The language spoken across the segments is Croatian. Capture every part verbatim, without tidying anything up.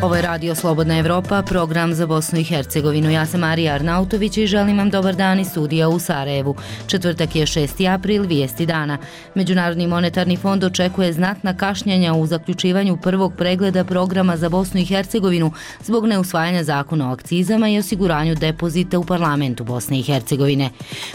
Ovo je Radio Slobodna Evropa, program za Bosnu i Hercegovinu. Ja sam Marija Arnautović i želim vam dobar dan iz studija u Sarajevu. Četvrtak je šesti april, vijesti dana. Međunarodni monetarni fond očekuje znatna kašnjenja u zaključivanju prvog pregleda programa za Bosnu i Hercegovinu zbog neusvajanja zakona o akcizama i osiguranju depozita u parlamentu Bosne i Hercegovine.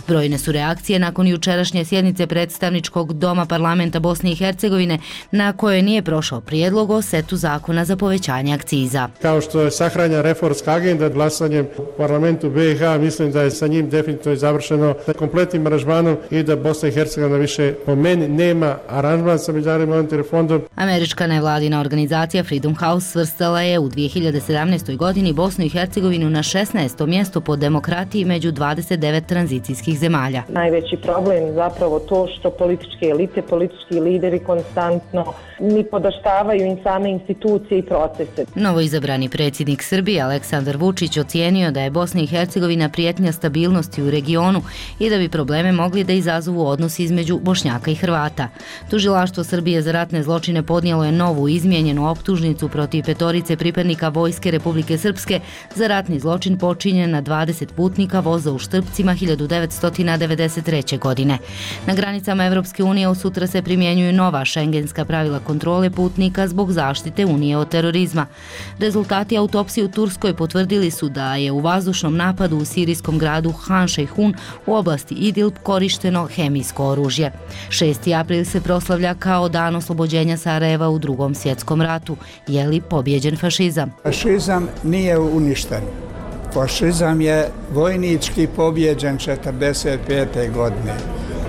Brojne su reakcije nakon jučerašnje sjednice predstavničkog doma parlamenta Bosne i Hercegovine na kojoj nije prošao prijedlog o setu zakona za povećanje akciza. Kao što je sahranja reformska agenda glasanjem u parlamentu B i H, mislim da je sa njim definitivno završeno kompletnim aranžmanom i da Bosna i Hercegovina više po meni nema aranžman sa Međunarodnim monetarnim fondom. Američka nevladina organizacija Freedom House svrstala je u dvije hiljade sedamnaestoj. godini Bosnu i Hercegovinu na šesnaesto mjesto po demokratiji među dvadeset devet tranzicijskih zemalja. Najveći problem je zapravo to što političke elite, politički lideri konstantno ni podaštavaju im same institucije i procese. Novoizabrani predsjednik Srbije Aleksandar Vučić ocijenio da je Bosna i Hercegovina prijetnja stabilnosti u regionu i da bi probleme mogli da izazovu odnos između Bošnjaka i Hrvata. Tužilaštvo Srbije za ratne zločine podnijelo je novu izmijenjenu optužnicu protiv petorice pripadnika Vojske Republike Srpske za ratni zločin počinjen na dvadeset putnika voza u Štrpcima hiljadu devetsto devedeset treće. godine. Na granicama Evropske unije od sutra se primjenjuju nova šengenska pravila kontrole putnika zbog zaštite Unije od terorizma. Rezultati autopsije u Turskoj potvrdili su da je u vazdušnom napadu u sirijskom gradu Han Šejhun u oblasti Idlib korišteno hemijsko oružje. šesti april se proslavlja kao dan oslobođenja Sarajeva u Drugom svjetskom ratu. Je li pobjeđen fašizam? Fašizam nije uništen. Fašizam je vojnički pobjeđen četrdeset pete. godine.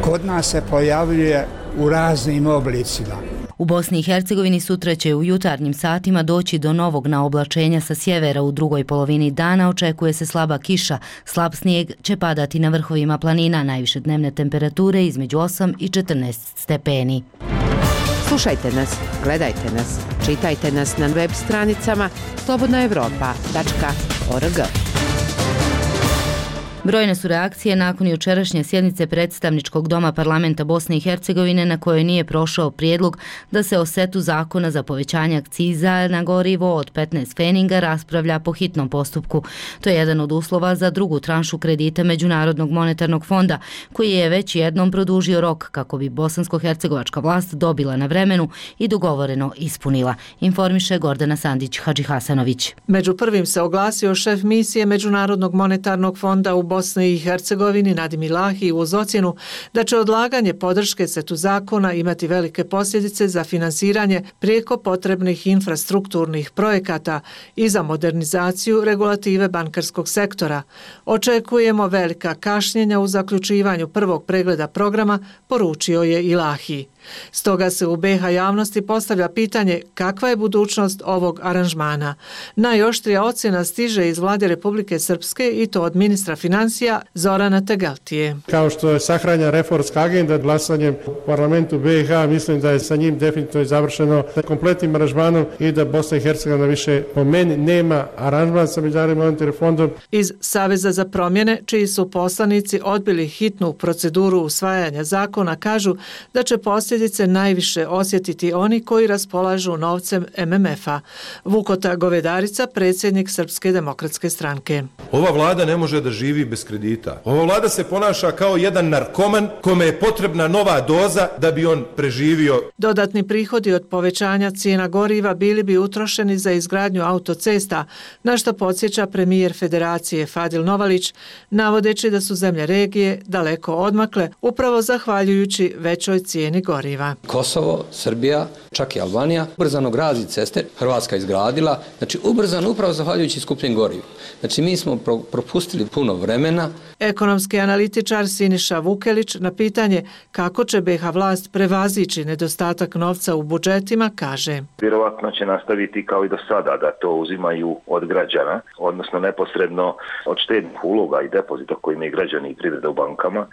Kod nas se pojavljuje u raznim oblicima. U Bosni i Hercegovini sutra će u jutarnjim satima doći do novog naoblačenja sa sjevera. U drugoj polovini dana očekuje se slaba kiša. Slab snijeg će padati na vrhovima planina, najviše dnevne temperature između osam i četrnaest stepeni. Slušajte nas, gledajte nas, čitajte nas na web stranicama slobodna evropa tačka org. Brojne su reakcije nakon jučerašnje sjednice predstavničkog doma parlamenta Bosne i Hercegovine na kojoj nije prošao prijedlog da se o setu zakona za povećanje akciza na gorivo od petnaest pfeninga raspravlja po hitnom postupku. To je jedan od uslova za drugu tranšu kredita Međunarodnog monetarnog fonda, koji je već jednom produžio rok kako bi bosansko-hercegovačka vlast dobila na vremenu i dogovoreno ispunila, informiše Gordana Sandić-Hadžihasanović. Među prvim se oglasio šef misije Međunarodnog monetarnog fonda u Bosni i Hercegovini Nadim Ilahi uz ocjenu da će odlaganje podrške setu zakona imati velike posljedice za finansiranje prijeko potrebnih infrastrukturnih projekata i za modernizaciju regulative bankarskog sektora. Očekujemo velika kašnjenja u zaključivanju prvog pregleda programa, poručio je Ilahi. Stoga se u B i H javnosti postavlja pitanje kakva je budućnost ovog aranžmana. Najoštrija ocjena stiže iz vlade Republike Srpske i to od ministra financija Zorana Tegeltije. Kao što je sahranja reformska agenda glasanjem u parlamentu B i H, mislim da je sa njim definitivno završeno kompletnim aranžmanom i da Bosna i Hercegovina više po meni nema aranžman sa Međunarodnim monetarnim fondom. Iz Saveza za promjene, čiji su poslanici odbili hitnu proceduru usvajanja zakona, kažu da će posljedice najviše osjetiti oni koji raspolažu novcem M M F-a. Vukota Govedarica, predsjednik Srpske demokratske stranke. Ova vlada ne može da živi bez kredita. Ova vlada se ponaša kao jedan narkoman kome je potrebna nova doza da bi on preživio. Dodatni prihodi od povećanja cijena goriva bili bi utrošeni za izgradnju autocesta, na što podsjeća premijer Federacije Fadil Novalić, navodeći da su zemlje regije daleko odmakle upravo zahvaljujući većoj cijeni goriva. Kosovo, Srbija, čak i Albanija ubrzano gradi ceste, Hrvatska izgradila, znači ubrzano upravo zahvaljujući skupljim gorivu. Znači mi smo pro, propustili puno vremena. Ekonomski analitičar Siniša Vukelić na pitanje kako će B i H vlast prevazići nedostatak novca u budžetima kaže: Vjerovatno će nastaviti kao i do sada da to uzimaju od građana, odnosno neposredno od štednih uloga i depozita koji imaju građani i privreda u bankama.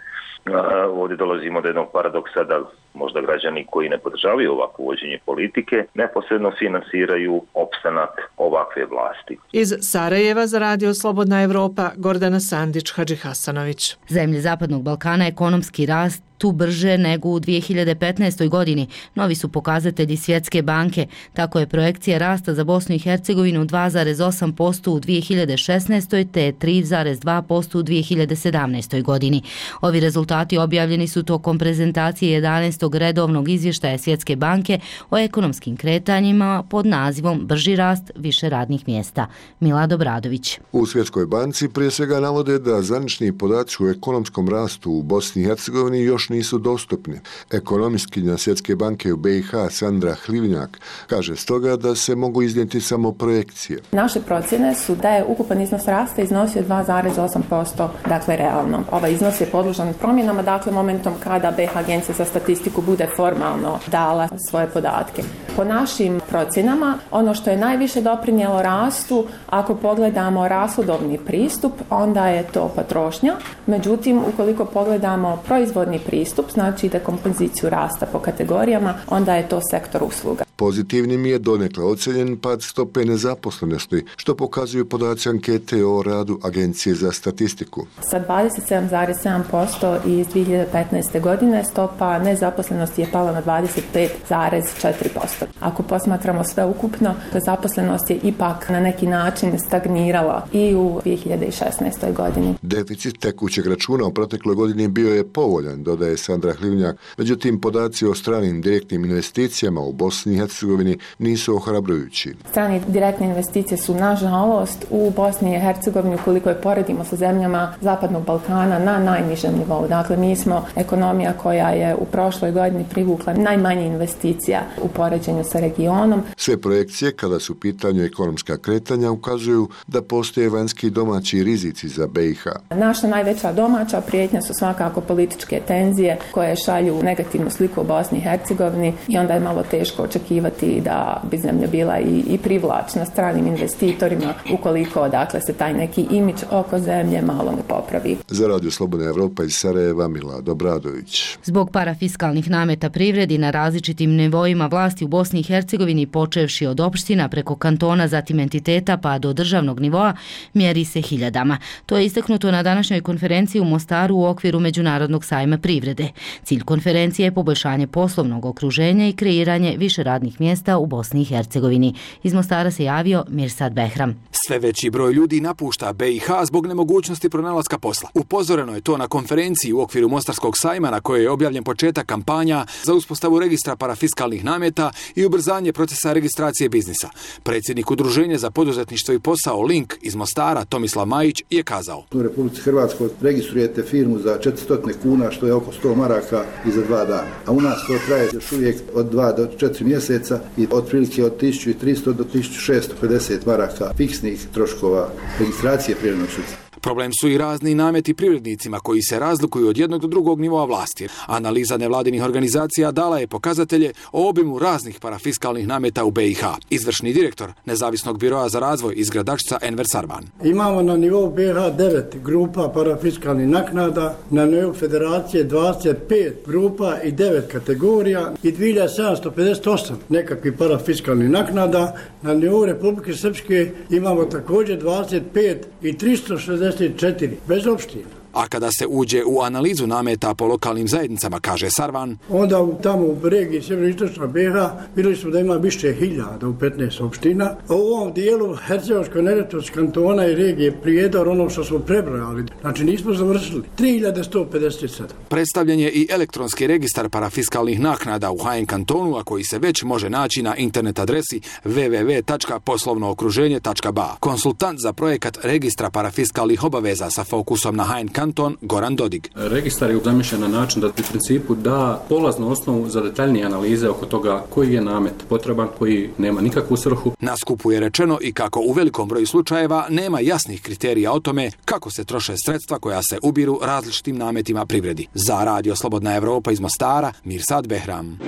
Ovdje dolazimo do jednog paradoksa da možda građani koji ne podržavaju ovakvo uvođenje politike neposredno finansiraju opstanak ovakve vlasti. Iz Sarajeva za Radio Slobodna Evropa Gordana Sandić-Hadžihasanović. Zemlje Zapadnog Balkana ekonomski rast tu brže nego u dvije hiljade petnaestoj. godini. Novi su pokazatelji Svjetske banke. Tako je projekcija rasta za Bosnu i Hercegovinu dva zarez osam posto u dvije hiljade šesnaestoj. te tri zarez dva posto u dvije hiljade sedamnaestoj. godini. Ovi rezultati objavljeni su tokom prezentacije jedanaestog redovnog izvještaja Svjetske banke o ekonomskim kretanjima pod nazivom Brži rast, više radnih mjesta. Milad Obradović. U Svjetskoj banci prije svega navode da zvanični podaci o ekonomskom rastu u Bosni i Hercegovini još nisu dostupni. Ekonomistkinja Svjetske banke u B i H Sandra Hlivnjak kaže stoga da se mogu iznijeti samo projekcije. Naše procjene su da je ukupan iznos rasta iznosio dva zarez osam posto, dakle realno. Ovaj iznos je podložan promjenama, dakle momentom kada B i H Agencija za statistiku bude formalno dala svoje podatke. Po našim procjenama, ono što je najviše doprinijelo rastu, ako pogledamo rashodovni pristup, onda je to potrošnja. Međutim, ukoliko pogledamo proizvodni pristup, znači dekompoziciju rasta po kategorijama, onda je to sektor usluga. Pozitivnim je donekle ocjenjen pad stope nezaposlenosti, što pokazuju podaci ankete o radu Agencije za statistiku. Sa dvadeset sedam zarez sedam posto iz dvije hiljade petnaeste. godine stopa nezaposlenosti je pala na dvadeset pet zarez četiri posto. Ako posmatramo sve ukupno, zaposlenost je ipak na neki način stagnirala i u dvije hiljade šesnaestoj. godini. Deficit tekućeg računa u protekloj godini bio je povoljan, dodaje Sandra Hlivnjak. Međutim, podaci o stranim direktnim investicijama u Bosni i Hercegovini nisu ohrabrujući. Strane direktne investicije su, nažalost, u Bosni i Hercegovini, ukoliko je poredimo sa zemljama Zapadnog Balkana, na najnižem nivou. Dakle, mi smo ekonomija koja je u prošloj godini privukla najmanje investicija u poređenju sa regionom. Sve projekcije, kada su u pitanju ekonomska kretanja, ukazuju da postoje vanjski i domaći rizici za B i H. Naša najveća domaća prijetnja su svakako političke tenzije koje šalju negativnu sliku u Bosni i Hercegovini i onda je malo teško očekivati da bi zemlja bila i, i privlačna stranim investitorima ukoliko dakle se taj neki imidž oko zemlje malo ne popravi. Za Radio Slobodna Evropa iz Sarajeva, Milad Obradović. Zbog parafiskalnih nameta privredi na različitim nivoima vlasti u Bosni i Hercegovini, počevši od opština preko kantona, zatim entiteta pa do državnog nivoa, mjeri se hiljadama. To je istaknuto na današnjoj konferenciji u Mostaru u okviru Međunarodnog sajma privrede. Cilj konferencije je poboljšanje poslovnog okruženja i kreiranje više radnih mjesta u Bosni i Hercegovini. Iz Mostara se javio Mirsad Behram. Sve veći broj ljudi napušta B i H zbog nemogućnosti pronalaska posla. Upozoreno je to na konferenciji u okviru Mostarskog sajma na kojoj je objavljen početak kampanja za uspostavu registra parafiskalnih nameta i ubrzanje procesa registracije biznisa. Predsjednik Udruženja za poduzetništvo i posao Link iz Mostara, Tomislav Majić, je kazao: U Republici Hrvatskoj registrujete firmu za četiristo kuna, što je oko sto maraka i za dva dana. A u nas to traje još uvijek od dva do četiri mjeseca i otprilike od tisuću tristo do tisuću šesto pedeset maraka fiksnih troškova registracije privrednog subjekta. Problem su i razni nameti privrednicima koji se razlikuju od jednog do drugog nivoa vlasti. Analiza nevladinih organizacija dala je pokazatelje o obimu raznih parafiskalnih nameta u B i H. Izvršni direktor Nezavisnog biroa za razvoj iz Gradačca Enver Sarvan. Imamo na nivou B i H devet grupa parafiskalnih naknada, na nivou federacije dvadeset pet grupa i devet kategorija i dvije hiljade sedamsto pedeset osam nekakvih parafiskalnih naknada. Na nivou Republike Srpske imamo također dvadeset pet i tristo šezdeset četiri bez opština. A kada se uđe u analizu nameta po lokalnim zajednicama, kaže Sarvan, onda tamo u regiji sjeveroistočna B i H vidjeli smo da ima više hiljada u petnaest opština. A u ovom dijelu Hercegovačko-neretvanskog kantona i regije Prijedor, ono što smo prebrojali, znači nismo završili, tri hiljade sto pedeset sedam. Predstavljen je i elektronski registar parafiskalnih naknada u H N kantonu, a koji se već može naći na internet adresi w w w tačka poslovno okruženje tačka b a. Konsultant za projekat registra parafiskalnih obaveza sa fokusom na H N kanton Goran Dodig. Registar je zamišljen na način da u principu da polaznu osnovu za detaljnije analize oko toga koji je namet potreban, koji nema nikakvu svrhu. Na skupu je rečeno i kako u velikom broju slučajeva nema jasnih kriterija o tome kako se troše sredstva koja se ubiru različitim nametima privredi. Za Radio Slobodna Evropa iz Mostara, Mirsad Behram.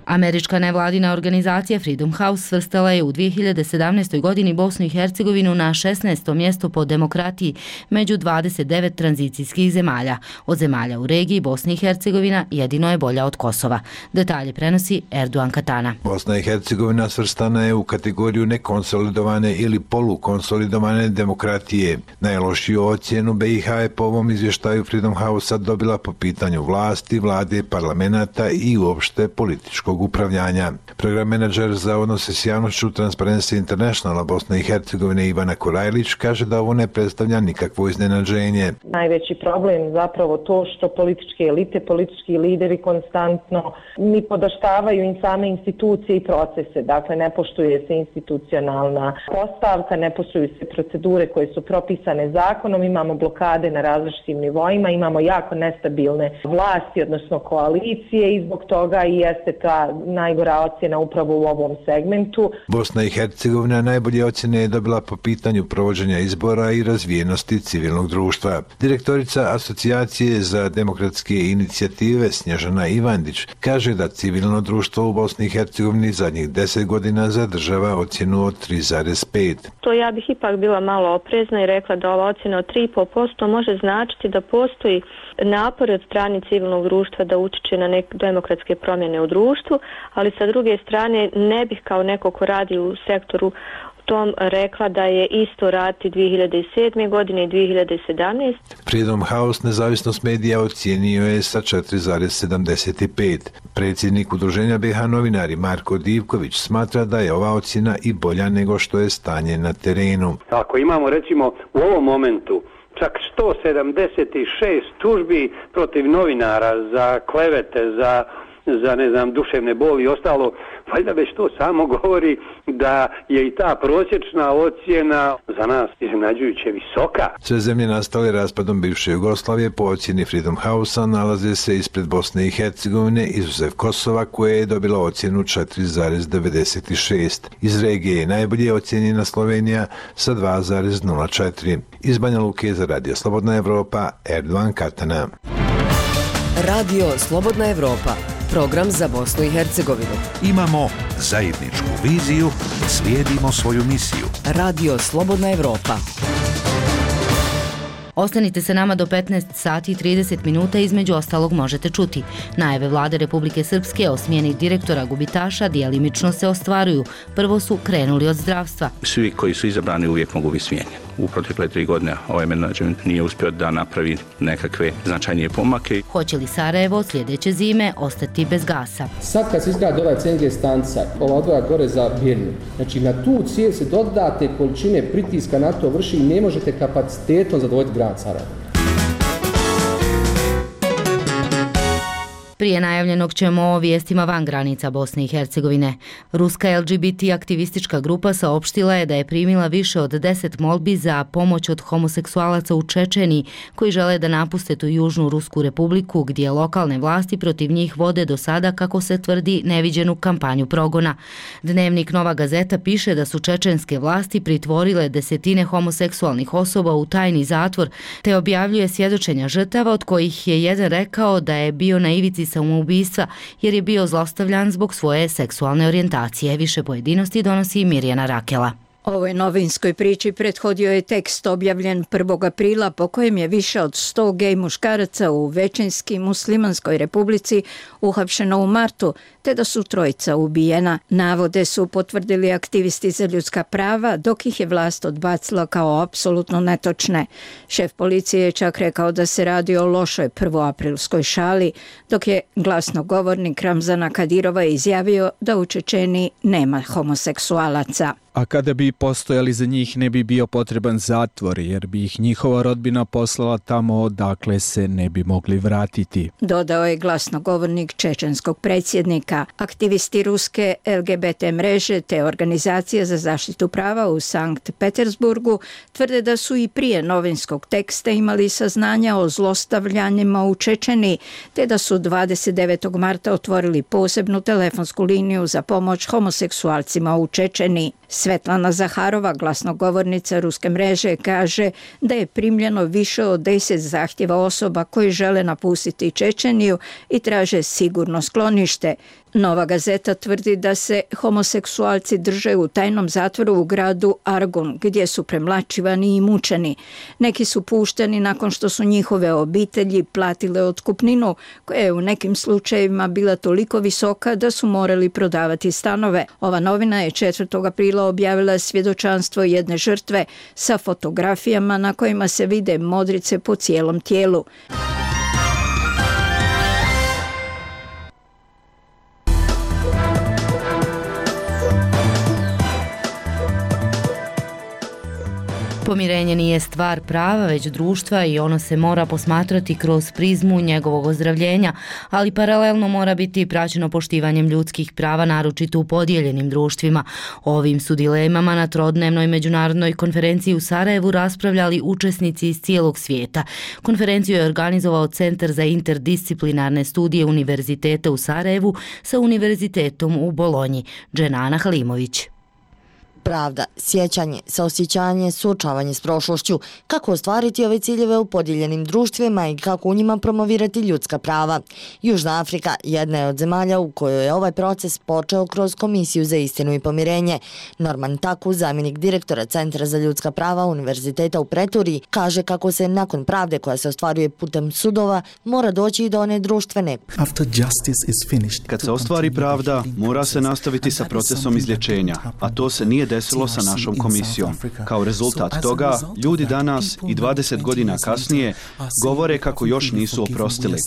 Američka nevladina organizacija Freedom House svrstala je u dvije hiljade sedamnaestoj. godini Bosnu i Hercegovinu na šesnaesto mjesto po demokratiji među dvadeset devet tranzicijskih zemalja. Od zemalja u regiji Bosna i Hercegovina jedino je bolja od Kosova. Detalje prenosi Erdogan Katana. Bosna i Hercegovina svrstana je u kategoriju nekonsolidovane ili polukonsolidovane demokratije. Najlošiju ocjenu B i H je po ovom izvještaju Freedom House dobila po pitanju vlasti, vlade, parlamenta i uopšte političkog upravljanja. Program menadžer za odnose s javnošću Transparency Internationala Bosne i Hercegovine Ivana Korajlić kaže da ovo ne predstavlja nikakvo iznenađenje. Najveći problem zapravo to što političke elite, politički lideri konstantno ni podaštavaju im same institucije i procese. Dakle, ne poštuje se institucionalna postavka, ne poštuju se procedure koje su propisane zakonom, imamo blokade na različitim nivoima, imamo jako nestabilne vlasti, odnosno koalicije i zbog toga i jeste ta najgora ocjena upravo u ovom segmentu. Bosna i Hercegovina najbolje ocjene je dobila po pitanju provođenja izbora i razvijenosti civilnog društva. Direktorica Asocijacije za demokratske inicijative Snježana Ivandić kaže da civilno društvo u Bosni i Hercegovini zadnjih deset godina zadržava ocjenu od tri zarez pet. To ja bih ipak bila malo oprezna i rekla da ova ocjena od tri zarez pet posto može značiti da postoji napor od strane civilnog društva da utiče na neke demokratske promjene u društvu, ali sa druge strane ne bih kao neko ko radi u sektoru tom rekla da je isto raditi dvije hiljade sedme. godine i dvije hiljade sedamnaeste. Freedom House nezavisnost medija ocijenio je sa četiri zarez sedamdeset pet. Predsjednik udruženja B H novinari Marko Divković smatra da je ova ocjena i bolja nego što je stanje na terenu. Ako imamo recimo u ovom momentu čak sto sedamdeset šest tužbi protiv novinara za klevete, za za ne znam duševne boli i ostalo, valjda već to samo govori da je i ta prosječna ocjena za nas iznenađujuće visoka. Sve zemlje nastale raspadom bivše Jugoslavije po ocjeni Freedom House-a nalaze se ispred Bosne i Hercegovine, izuzev Kosova koje je dobila ocjenu četiri zarez devedeset šest. Iz regije je najbolje ocjenjena Slovenija sa dva zarez nula četiri. Iz Banja Luke za Radio Slobodna Evropa, Erdogan Katana. Radio Slobodna Evropa, program za Bosnu i Hercegovinu. Imamo zajedničku viziju, slijedimo svoju misiju. Radio Slobodna Evropa. Ostanite se nama do petnaest sati i trideset minuta, između ostalog možete čuti. Najave vlade Republike Srpske o smjeni direktora gubitaša djelimično se ostvaruju. Prvo su krenuli od zdravstva. Svi koji su izabrani uvijek mogu biti smijenjeni. U protekle tri godine ovaj menadžment nije uspio da napravi nekakve značajnije pomake. Hoće li Sarajevo sljedeće zime ostati bez gasa? Sad kad se izgradi ovaj C N G stanca, ova odvoja gore za Birnu, znači na tu cijev se dodate količine pritiska na to vrši i ne možete kapacitetom zadovoljiti grad Sarajevo. Prije najavljenog ćemo o vijestima van granica Bosne i Hercegovine. Ruska L G B T aktivistička grupa saopštila je da je primila više od deset molbi za pomoć od homoseksualaca u Čečeniji koji žele da napuste tu južnu Rusku republiku gdje lokalne vlasti protiv njih vode do sada, kako se tvrdi, neviđenu kampanju progona. Dnevnik Nova Gazeta piše da su čečenske vlasti pritvorile desetine homoseksualnih osoba u tajni zatvor, te objavljuje svjedočenja žrtava od kojih je jedan rekao da je bio na ivici samoubistva jer je bio zlostavljan zbog svoje seksualne orijentacije. Više pojedinosti donosi Mirjana Rakela. Ovoj novinskoj priči prethodio je tekst objavljen prvog aprila po kojem je više od sto gej muškaraca u većinski muslimanskoj republici uhapšeno u martu, te da su trojica ubijena. Navode su potvrdili aktivisti za ljudska prava, dok ih je vlast odbacila kao apsolutno netočne. Šef policije je čak rekao da se radi o lošoj prvoaprilskoj šali, dok je glasnogovornik Ramzana Kadirova izjavio da u Čečeniji nema homoseksualaca. A kada bi postojali za njih ne bi bio potreban zatvor, jer bi ih njihova rodbina poslala tamo odakle se ne bi mogli vratiti. Dodao je glasnogovornik čečenskog predsjednika. Aktivisti ruske L G B T mreže te organizacije za zaštitu prava u Sankt Petersburgu tvrde da su i prije novinskog teksta imali saznanja o zlostavljanjima u Čečeniji, te da su dvadeset devetog marta otvorili posebnu telefonsku liniju za pomoć homoseksualcima u Čečeniji. Svetlana Zaharova, glasnogovornica ruske mreže, kaže da je primljeno više od deset zahtjeva osoba koji žele napustiti Čečeniju i traže sigurno sklonište. Nova Gazeta tvrdi da se homoseksualci drže u tajnom zatvoru u gradu Argun, gdje su premlačivani i mučeni. Neki su pušteni nakon što su njihove obitelji platile otkupninu, koja je u nekim slučajevima bila toliko visoka da su morali prodavati stanove. Ova novina je četvrtog aprila objavila svjedočanstvo jedne žrtve sa fotografijama na kojima se vide modrice po cijelom tijelu. Pomirenje nije stvar prava, već društva i ono se mora posmatrati kroz prizmu njegovog ozdravljenja, ali paralelno mora biti praćeno poštivanjem ljudskih prava, naročito u podijeljenim društvima. O ovim su dilemama na trodnevnoj međunarodnoj konferenciji u Sarajevu raspravljali učesnici iz cijelog svijeta. Konferenciju je organizovao Centar za interdisciplinarne studije Univerziteta u Sarajevu sa Univerzitetom u Bolonji. Dženana Halimović. Pravda, sjećanje, saosjećanje, suočavanje s prošlošću, kako ostvariti ove ciljeve u podijeljenim društvima i kako u njima promovirati ljudska prava. Južna Afrika jedna je od zemalja u kojoj je ovaj proces počeo kroz Komisiju za istinu i pomirenje. Norman Taku, zamjenik direktora Centra za ljudska prava Univerziteta u Pretoriji, kaže kako se nakon pravde koja se ostvaruje putem sudova mora doći i do one društvene. Kad se ostvari pravda, mora se nastaviti sa procesom izlječenja, a to se nije desilo sa našom komisijom. Kao rezultat toga, ljudi danas i dvadeset godina kasnije govore kako još nisu oprostili.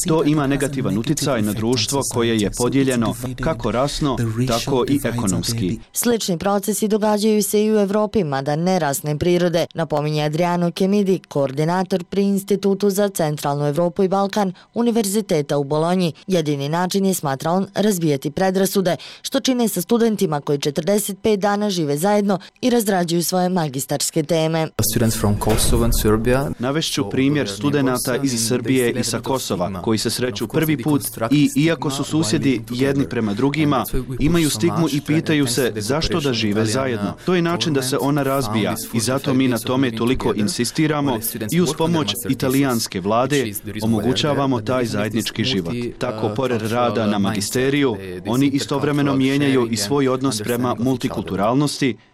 To ima negativan utjecaj na društvo koje je podijeljeno kako rasno, tako i ekonomski. Slični procesi događaju se i u Evropi, mada nerasne prirode, napominje Adriano Kemidi, koordinator pri Institutu za centralnu Evropu i Balkan Univerziteta u Bolonji. Jedini način je, smatra on, razbijati predrasude, što čine sa studentima koji četrdeset pet dana žive zajedno i razrađuju svoje magistarske teme. Navešću primjer studenata iz Srbije i sa Kosova, koji se sreću prvi put i, iako su susjedi jedni prema drugima, imaju stigmu i pitaju se zašto da žive zajedno. To je način da se ona razbija i zato mi na tome toliko insistiramo i uz pomoć italijanske vlade omogućavamo taj zajednički život. Tako, pored rada na magisteriju, oni istovremeno mijenjaju i svoj odnos prema multikulturalnosti,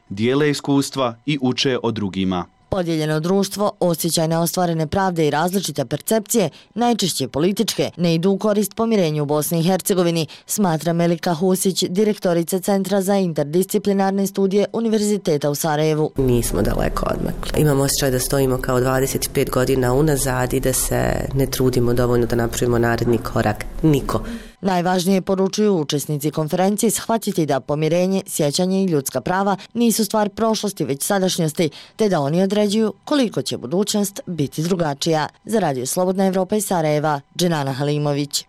dijele iskustva i uče o drugima. Podijeljeno društvo, osjećaj neostvarene pravde i različite percepcije, najčešće političke, ne idu u korist pomirenju u Bosni i Hercegovini, smatra Melika Husić, direktorica Centra za interdisciplinarne studije Univerziteta u Sarajevu. Nismo daleko odmakli. Imamo osjećaj da stojimo kao dvadeset pet godina unazad i da se ne trudimo dovoljno da napravimo naredni korak. Niko. Najvažnije, poručuju učesnici konferencije, shvatiti da pomirenje, sjećanje i ljudska prava nisu stvar prošlosti, već sadašnjosti, te da oni određuju koliko će budućnost biti drugačija. Za Radio Slobodna Evropa iz Sarajeva, Dženana Halimović.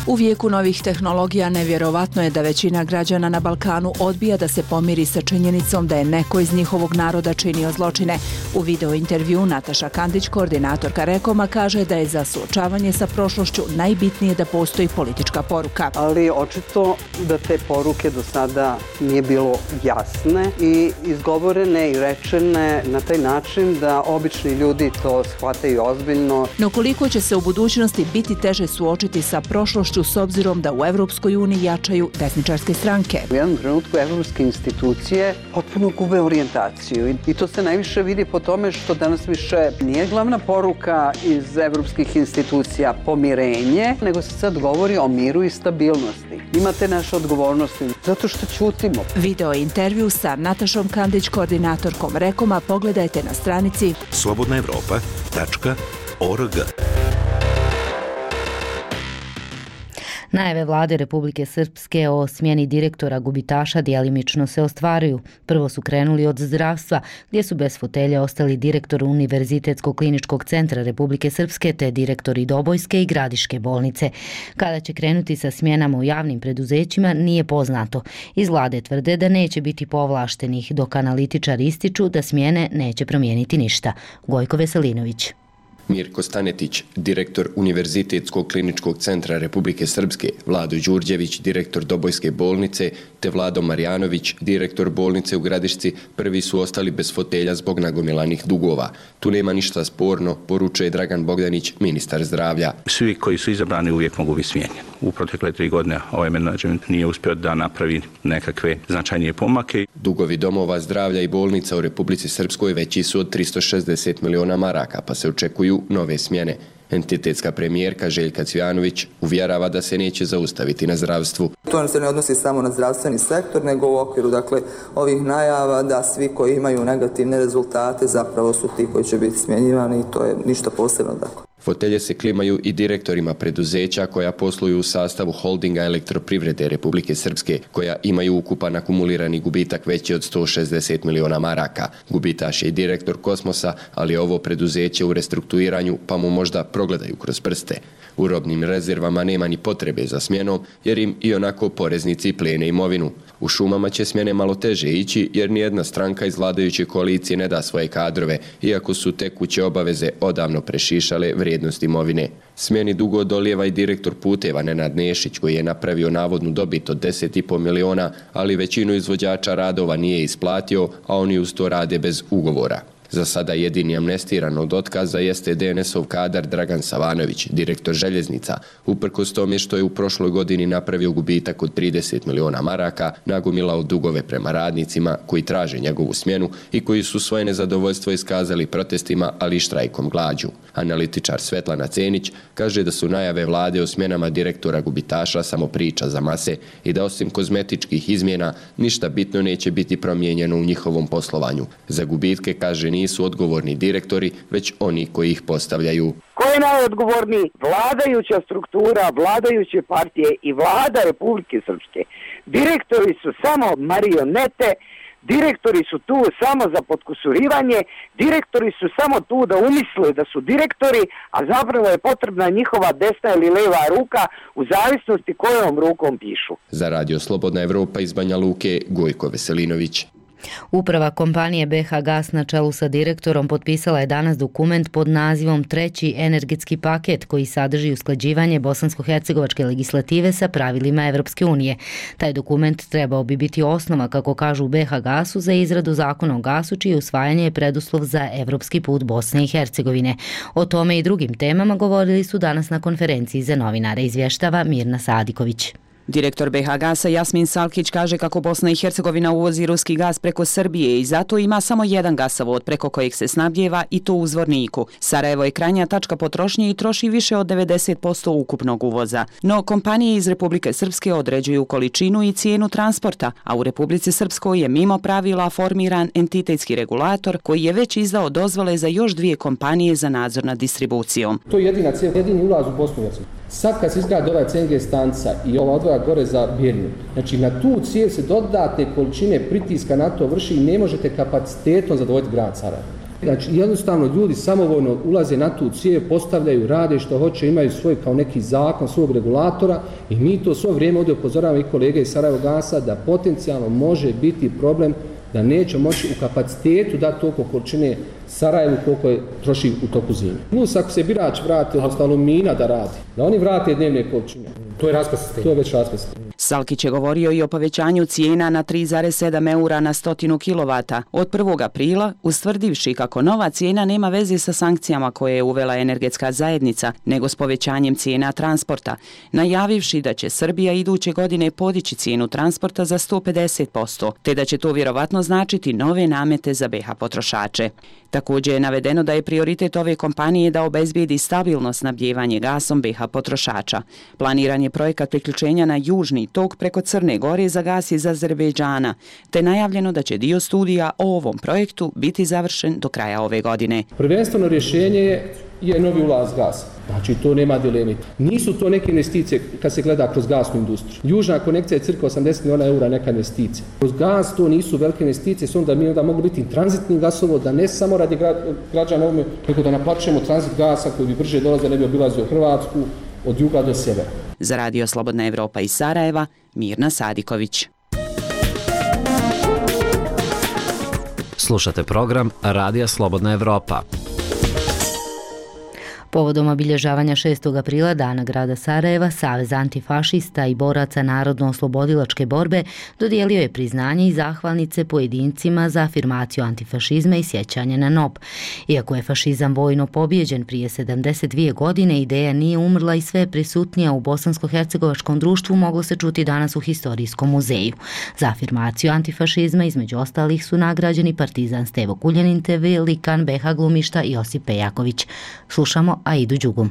U vijeku novih tehnologija nevjerovatno je da većina građana na Balkanu odbija da se pomiri sa činjenicom da je neko iz njihovog naroda činio zločine. U video intervju Nataša Kandić, koordinatorka Rekoma, kaže da je za suočavanje sa prošlošću najbitnije da postoji politička poruka. Ali očito da te poruke do sada nije bilo jasne i izgovorene i rečene na taj način da obični ljudi to shvataju ozbiljno. No koliko će se u budućnosti biti teže suočiti sa prošlošću s obzirom da u Evropskoj uniji jačaju desničarske stranke. U jednom trenutku evropske institucije potpuno gube orijentaciju i to se najviše vidi po tome što danas više nije glavna poruka iz evropskih institucija pomirenje, nego se sad govori o miru i stabilnosti. Imate naše odgovornosti zato što ćutimo. Video intervju sa Natašom Kandić, koordinatorkom Rekoma, pogledajte na stranici slobodna evropa tačka org. Najave vlade Republike Srpske o smjeni direktora gubitaša djelimično se ostvaruju. Prvo su krenuli od zdravstva, gdje su bez fotelje ostali direktor Univerzitetskog kliničkog centra Republike Srpske te direktori Dobojske i Gradiške bolnice. Kada će krenuti sa smjenama u javnim preduzećima nije poznato. Iz vlade tvrde da neće biti povlaštenih, dok analitičari ističu da smjene neće promijeniti ništa. Gojko Veselinović. Mirko Stanetić, direktor Univerzitetskog kliničkog centra Republike Srpske, Vlado Đurđević, direktor Dobojske bolnice, te Vlado Marjanović, direktor bolnice u Gradišci, prvi su ostali bez fotelja zbog nagomilanih dugova. Tu nema ništa sporno, poručuje Dragan Bogdanić, ministar zdravlja. Svi koji su izabrani uvijek mogu biti smijenjeni. U protekle tri godine ovaj menadžment nije uspio da napravi nekakve značajnije pomake. Dugovi domova zdravlja i bolnica u Republici Srpskoj veći su od tristo šezdeset miliona maraka, pa se očekuju nove smjene. Entitetska premijerka Željka Cvijanović uvjerava da se neće zaustaviti na zdravstvu. To se ne odnosi samo na zdravstveni sektor, nego u okviru dakle, ovih najava da svi koji imaju negativne rezultate zapravo su ti koji će biti smjenjivani i to je ništa posebno. Dakle. Fotelje se klimaju i direktorima preduzeća koja posluju u sastavu holdinga Elektroprivrede Republike Srpske, koja imaju ukupan akumulirani gubitak veći od sto šezdeset miliona maraka. Gubitaš je i direktor Kosmosa, ali ovo preduzeće u restrukturiranju, pa mu možda progledaju kroz prste. U robnim rezervama nema ni potrebe za smjenom, jer im i onako poreznici plijene imovinu. U šumama će smjene malo teže ići, jer nijedna stranka iz vladajuće koalicije ne da svoje kadrove, iako su tekuće obaveze odavno prešišale vrijednost imovine. Smjeni dugo dolijeva i direktor puteva Nenad Nešić, koji je napravio navodnu dobit od deset i po miliona, ali većinu izvođača radova nije isplatio, a oni uz to rade bez ugovora. Za sada jedini amnestiran od otkaza jeste D N S-ov kadar Dragan Savanović, direktor željeznica, uprkos tome što je u prošloj godini napravio gubitak od trideset miliona maraka, nagomilao dugove prema radnicima koji traže njegovu smjenu i koji su svoje nezadovoljstvo iskazali protestima, ali i štrajkom glađu. Analitičar Svetlana Cenić kaže da su najave vlade o smjenama direktora gubitaša samo priča za mase i da osim kozmetičkih izmjena ništa bitno neće biti promijenjeno u njihovom poslovanju. Za gubitke, kaže, nisu odgovorni direktori, već oni koji ih postavljaju. Ko je najodgovorniji? Vladajuća struktura, vladajuće partije i vlada Republike Srpske. Direktori su samo marionete, direktori su tu samo za potkusurivanje, direktori su samo tu da umisle da su direktori, a zapravo je potrebna njihova desna ili leva ruka u zavisnosti kojom rukom pišu. Za Radio Slobodna Evropa iz Banja Luke, Gojko Veselinović. Uprava kompanije B H Gas na čelu sa direktorom potpisala je danas dokument pod nazivom Treći energetski paket koji sadrži usklađivanje bosansko-hercegovačke legislative sa pravilima Evropske unije. Taj dokument trebao bi biti osnova, kako kažu u B H Gasu, za izradu zakona o gasu, čije usvajanje je preduslov za evropski put Bosne i Hercegovine. O tome i drugim temama govorili su danas na konferenciji za novinare, izvještava Mirna Sadiković. Direktor B H Gasa Jasmin Salkić kaže kako Bosna i Hercegovina uvozi ruski gas preko Srbije i zato ima samo jedan gasovod preko kojeg se snabdjeva, i to u Zvorniku. Sarajevo je krajnja tačka potrošnje i troši više od devedeset posto ukupnog uvoza. No kompanije iz Republike Srpske određuju količinu i cijenu transporta, a u Republici Srpskoj je mimo pravila formiran entitetski regulator koji je već izdao dozvole za još dvije kompanije za nadzor nad distribucijom. To je jedina cijena, jedini ulaz u Bosnu i Hercegovinu. Sad kad se izgradi ova C N G stanca i ova odvoja gore za Birnu, znači na tu cijev se dodatne količine pritiska na to vrši i ne možete kapacitetom zadovoljiti grad Sarajevo. Znači jednostavno ljudi samovoljno ulaze na tu cijev, postavljaju, rade što hoće, imaju svoj kao neki zakon svog regulatora i mi to svo vrijeme ovdje upozoravamo i kolege iz Sarajevo Gasa da potencijalno može biti problem da neće moći u kapacitetu dati toliko količine Sarajevu koliko je troši u toku zime. Plus ako se birač vrati, odnosno alumina da radi, da oni vrate dnevne količine. To je raspad sistema. To je već raspad sistema. Salkić je govorio i o povećanju cijena na tri zarez sedam eura na stotinu kilovata od prvog aprila, ustvrdivši kako nova cijena nema veze sa sankcijama koje je uvela energetska zajednica, nego s povećanjem cijena transporta, najavivši da će Srbija iduće godine podići cijenu transporta za sto pedeset posto, te da će to vjerovatno značiti nove namete za B H potrošače. Također je navedeno da je prioritet ove kompanije da obezbijedi stabilno snabdijevanje gasom B H potrošača. Planiran je projekat priključenja na južni tok preko Crne Gore za gas iz Azerbejdžana, te najavljeno da će dio studija o ovom projektu biti završen do kraja ove godine. Prvenstveno rješenje je, je novi ulaz gasa. Znači to nema dileme. Nisu to neke investicije kad se gleda kroz gasnu industriju. Južna konekcija je cirka osamdeset miliona eura neka investicija. Kroz gas to nisu velike investicije, s onda mi onda mogu biti tranzitni gasovod, da ne samo radi građana ovome, nego da naplaćujemo tranzit gasa koji bi brže dolaze, ne bi obilazio Hrvatsku od juga do sjevera. Za Radio Slobodna Evropa iz Sarajeva, Mirna Sadiković. Slušate program Radija Slobodna Evropa. Povodom obilježavanja šestog aprila, Dana grada Sarajeva, Savez antifašista i boraca narodno-oslobodilačke borbe dodijelio je priznanje i zahvalnice pojedincima za afirmaciju antifašizma i sjećanje na N O B. Iako je fašizam vojno pobjeđen prije sedamdeset dvije godine, ideja nije umrla i sve prisutnija u bosansko-hercegovačkom društvu moglo se čuti danas u Historijskom muzeju. Za afirmaciju antifašizma između ostalih su nagrađeni partizan Stevo Kuljanin te velikan be ha glumišta Josip Pejaković. Slušamo Aidu Đugum.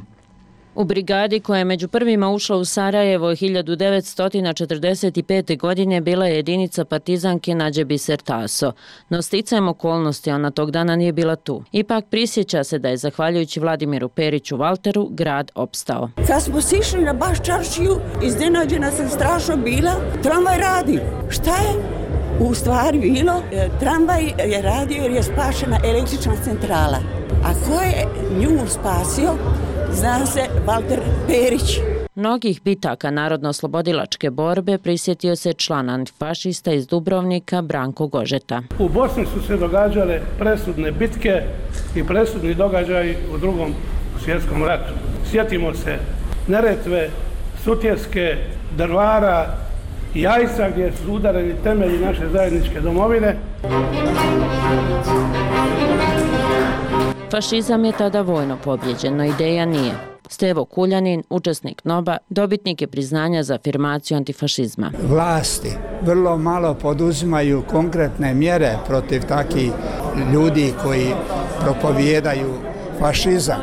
U brigadi koja je među prvima ušla u Sarajevo hiljadu devetsto četrdeset pete. godine bila je jedinica partizanke Nađe Biser Taso, no sticajem okolnosti ona tog dana nije bila tu. Ipak prisjeća se da je zahvaljujući Vladimiru Periću Valteru grad opstao. Kad smo sišli na baš čaršiju, iznenađena sam strašno bila, tramvaj radi. Šta je u stvari bilo? Tramvaj je radio jer je spašena električna centrala. A ko je nju spasio? Zna se Valter Perić. Mnogih bitaka narodno-oslobodilačke borbe prisjetio se član antifašista iz Dubrovnika Branko Gožeta. U Bosni su se događale presudne bitke i presudni događaji u drugom svjetskom ratu. Sjetimo se Neretve, Sutjeske, Drvara, Jajca gdje su udareni temelji naše zajedničke domovine. Fašizam je tada vojno pobjeđen, no ideja nije. Stevo Kuljanin, učesnik N O B-a, dobitnik je priznanja za afirmaciju antifašizma. Vlasti vrlo malo poduzimaju konkretne mjere protiv takih ljudi koji propovijedaju fašizam.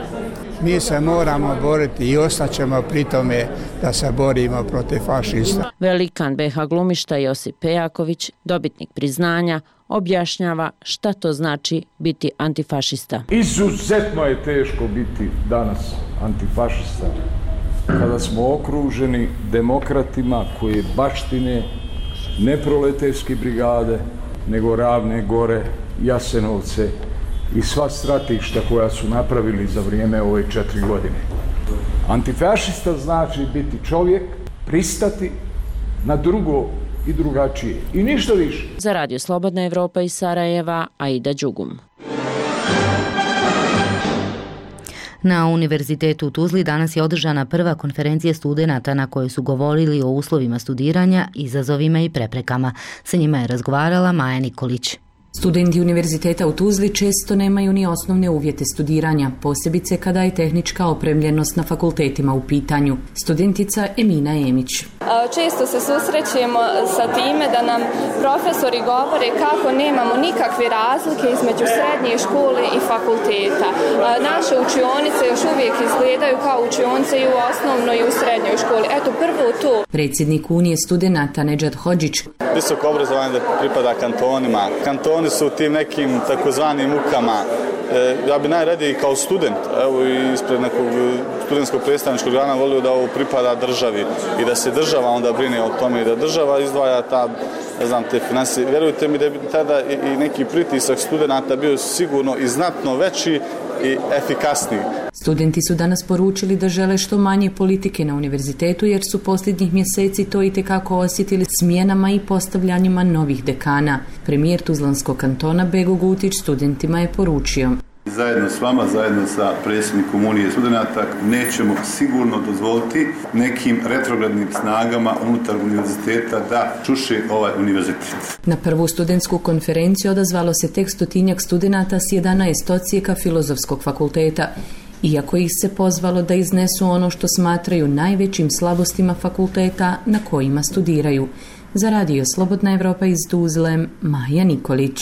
Mi se moramo boriti i ostaćemo pri tome da se borimo protiv fašista. Velikan be ha glumišta Josip Pejaković, dobitnik priznanja, objašnjava šta to znači biti antifašista. Izuzetno je teško biti danas antifašista kada smo okruženi demokratima koji baštine ne proleterske brigade, nego Ravne gore, Jasenovce i sva stratišta koja su napravili za vrijeme ove četiri godine. Antifašista znači biti čovjek, pristati na drugo i drugačije. I ništa više. Za Radio Slobodna Evropa iz Sarajeva, Aida Đugum. Na Univerzitetu u Tuzli danas je održana prva konferencija studenata na kojoj su govorili o uslovima studiranja, izazovima i preprekama. Sa njima je razgovarala Maja Nikolić. Studenti Univerziteta u Tuzli često nemaju ni osnovne uvjete studiranja, posebice kada je tehnička opremljenost na fakultetima u pitanju. Studentica Emina Emić. Često se susrećemo sa time da nam profesori govore kako nemamo nikakve razlike između srednje škole i fakulteta. Naše učionice još uvijek izgledaju kao učionice i u osnovnoj i u srednjoj školi. Eto, prvo to. Predsjednik Unije studenata Nedžad Hodžić. Visoko obrazovanje da pripada kantonima. Kantoni su u tim nekim takozvanim mukama. E, ja bi najradije kao student, evo i ispred nekog studentskog predstavničkog organa volio da ovo pripada državi i da se država onda brine o tome i da država izdvaja ta, ne znam, te financije. Vjerujte mi da bi tada i, i neki pritisak studenata bio sigurno i znatno veći i efikasniji. Studenti su danas poručili da žele što manje politike na univerzitetu jer su posljednjih mjeseci to itekako osjetili smjenama i postavljanjima novih dekana. Premijer Tuzlanskog kantona Bego Gutić studentima je poručio. Zajedno s vama, zajedno sa predsjednikom Unije studenata, nećemo sigurno dozvoliti nekim retrogradnim snagama unutar univerziteta da čuše ovaj univerzitet. Na prvu studentsku konferenciju odazvalo se tek stotinjak studenata s jedanaest odsjeka Filozofskog fakulteta, iako ih se pozvalo da iznesu ono što smatraju najvećim slabostima fakulteta na kojima studiraju. Za Radio Slobodna Evropa iz Tuzle, Maja Nikolić.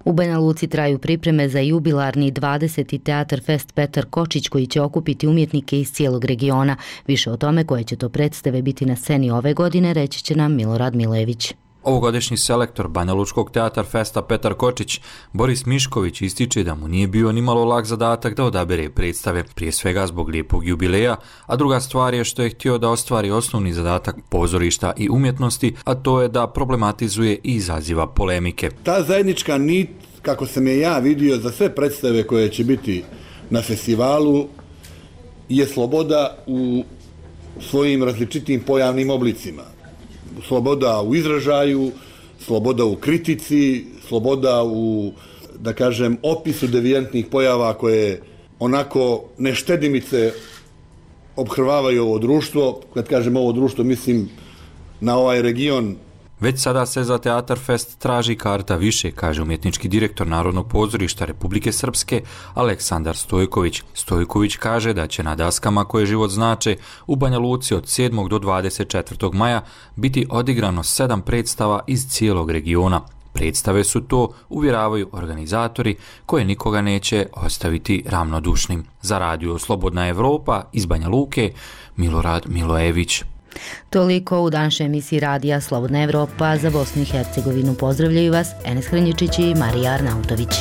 U Banja Luci traju pripreme za jubilarni dvadeseti Teatar Fest Petar Kočić koji će okupiti umjetnike iz cijelog regiona. Više o tome koje će to predstave biti na sceni ove godine reći će nam Milorad Milević. Ovogodišnji selektor Banja Lučkog Teatar Festa Petar Kočić, Boris Mišković, ističe da mu nije bio nimalo lak zadatak da odabere predstave, prije svega zbog lijepog jubileja, a druga stvar je što je htio da ostvari osnovni zadatak pozorišta i umjetnosti, a to je da problematizuje i izaziva polemike. Ta zajednička nit, kako sam je ja vidio za sve predstave koje će biti na festivalu, je sloboda u svojim različitim pojavnim oblicima. Sloboda u izražaju, sloboda u kritici, sloboda u, da kažem, opisu devijantnih pojava koje onako neštedimice obhrvavaju ovo društvo. Kad kažem ovo društvo, mislim na ovaj region. Već sada se za Teatar Fest traži karta više, kaže umjetnički direktor Narodnog pozorišta Republike Srpske Aleksandar Stojković. Stojković kaže da će na daskama koje život znače u Banja Luci od sedmog do dvadeset četvrtog maja biti odigrano sedam predstava iz cijelog regiona. Predstave su to, uvjeravaju organizatori, koje nikoga neće ostaviti ravnodušnim. Za radio Slobodna Evropa iz Banja Luke, Milorad Milojević. Toliko u današnjoj emisiji radija Slobodna Evropa. Za Bosnu i Hercegovinu pozdravljaju vas Enes Hrnjičić i Marija Arnautović.